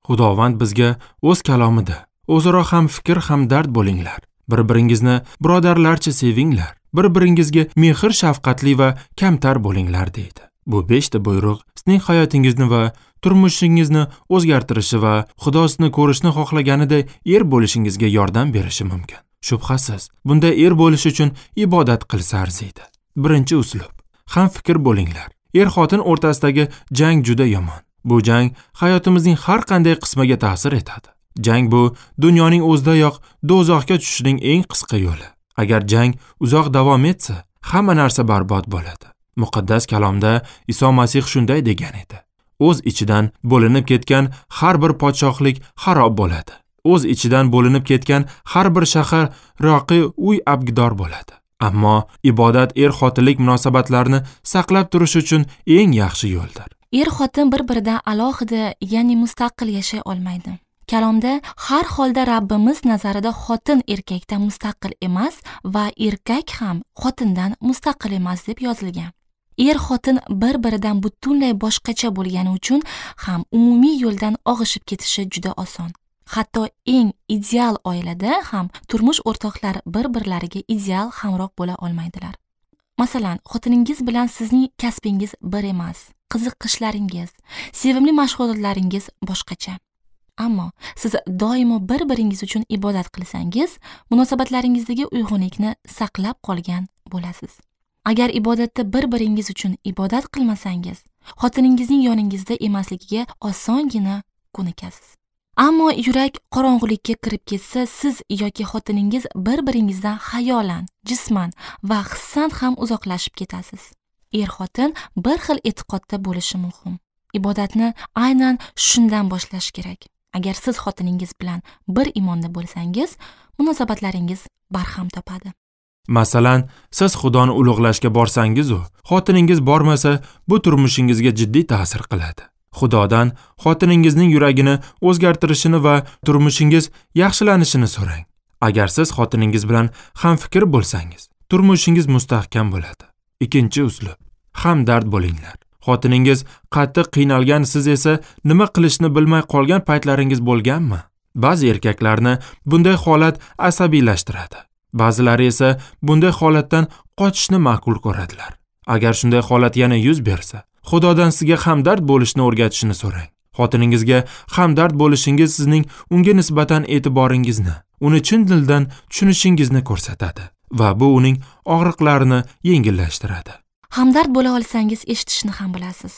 Xudovand bizga o'z kalomida: o'zaro ham fikr ham dard bo'linglar, bir-biringizni birodarlarcha sevinglar, bir-biringizga mehr shafqatli va kamtar bo'linglar deydi. Bu 5 ta buyruq sizning hayotingizni va turmushingizni o'zgartirishi va Xudo sizni ko'rishni xohlaganiday er bo'lishingizga yordam berishi mumkin. Shubhasiz, bunday er bo'lish uchun ibodat qilsa arziydi. Birinchi uslub: ham fikr bo'linglar. Er-xotin o'rtasidagi jang juda yomon. Bu jang hayotimizning har qanday qismiga ta'sir etadi. Jang bu dunyoning o'zidayoq do'zaxga tushishning eng qisqa yo'li. Agar jang uzoq davom etsa, hamma narsa barbod bo'ladi. Muqaddas kalomda Iso Masih shunday degan edi: o'z ichidan bo'linib ketgan har bir podshohlik xarob bo'ladi. O'z ichidan bo'linib ketgan har bir shahar roqi uy abgidor bo'ladi. Ammo ibodat er-xotinlik munosabatlarini saqlab turish uchun eng yaxshi yo'ldir. Er-xotin bir-biridan alohida, ya'ni mustaqil yashay olmaydi. Kalomda har holda Rabbimiz nazarida xotin erkakdan mustaqil emas va erkak ham xotindan mustaqil emas deb yozilgan. Er-xotin bir-biridan butunlay boshqacha bo'lgani uchun ham umumiy yo'ldan og'ishib ketishi juda oson. Hatto eng ideal oilada ham turmush o'rtoqlar bir-birlariga ideal hamroh bo'la olmaydilar. Masalan, xotiningiz bilan sizning kasbingiz bir emas, qiziqishlaringiz, sevimli mashg'ulotlaringiz boshqacha. Ammo siz doimo bir-biringiz uchun ibodat qilsangiz, munosabatlaringizdagi uyg'unlikni saqlab qolgan bo'lasiz. Agar ibodatda bir-biringiz uchun ibodat qilmasangiz, xotiningizning yoningizda emasligiga osongina ko'nikasiz. Ammo yurak qorong'ulikka kirib ketsa, siz yoki xotiningiz bir-biringizdan xayolan, jisman va hissan ham uzoqlashib ketasiz. Er-xotin bir xil e'tiqodda bo'lishi muhim. Ibodatni aynan shundan boshlash kerak. Agar siz xotiningiz bilan bir imonda bo'lsangiz, munosabatlaringiz barham topadi. Masalan, siz Xudoni ulug'lashga borsangiz-u, xotiningiz bormasa, bu turmushingizga jiddiy ta'sir qiladi. Xudodan xotiningizning yuragini o'zgartirishini va turmushingiz yaxshilanishini so'rang. Agar siz xotiningiz bilan hamfikr bo'lsangiz, turmushingiz mustahkam bo'ladi. Ikkinchi uslub: hamdard bo'linglar. Xotiningiz qattiq qiynalgan, siz esa nima qilishni bilmay qolgan paytlaringiz bo'lganmi? Ba'zi erkaklarni bunday holat asabiylashtiradi. Ba'zilari esa bunday holatdan qochishni ma'qul ko'radilar. Agar shunday holat yana yuz bersa, Xudodan sizga hamdard bo'lishni o'rgatishini so'rang. Xotiningizga hamdard bo'lishingiz sizning unga nisbatan e'tiboringizni, uni chin dildan tushunishingizni ko'rsatadi va bu uning og'riqlarini yengillashtiradi. Hamdard bo'la olsangiz, eshitishni ham bilasiz.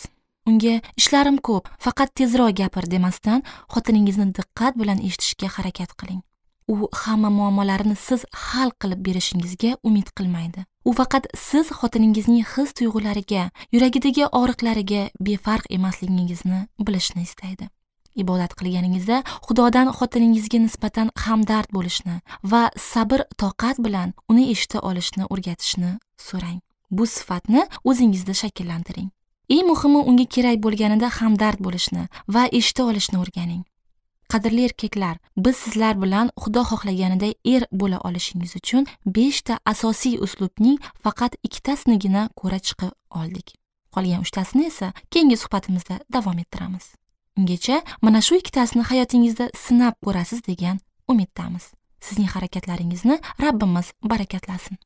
Unga ishlarim ko'p, faqat tezroq gapir demasdan, xotiningizni diqqat bilan eshitishga harakat qiling. U hamma muammolarini siz hal qilib berishingizga umid qilmaydi. U faqat siz xotiningizning his tuyg'ulariga, yuragidagi og'riqlariga befarq emasligingizni bilishni istaydi. Ibodat qilganingizda Xudodan xotiningizga nisbatan hamdard bo'lishni va sabr toqat bilan uni eshita olishni o'rgatishni so'rang. Bu sifatni o'zingizda shakllantiring. Eng muhimi, unga kerak bo'lganida hamdard bo'lishni va eshita olishni o'rganing. Qadrli erkaklar, biz sizlar bilan Xudo xohlaganiday er bo'la olishingiz uchun 5 ta asosiy uslubning faqat 2tasinigina ko'ra chiqib oldik. Qolgan 3tasini esa keyingi suhbatimizda davom ettiramiz. Ungacha mana shu 2tasini hayotingizda sinab ko'rasiz degan umiddamiz. Sizning harakatlaringizni Rabbimiz barakatlasin.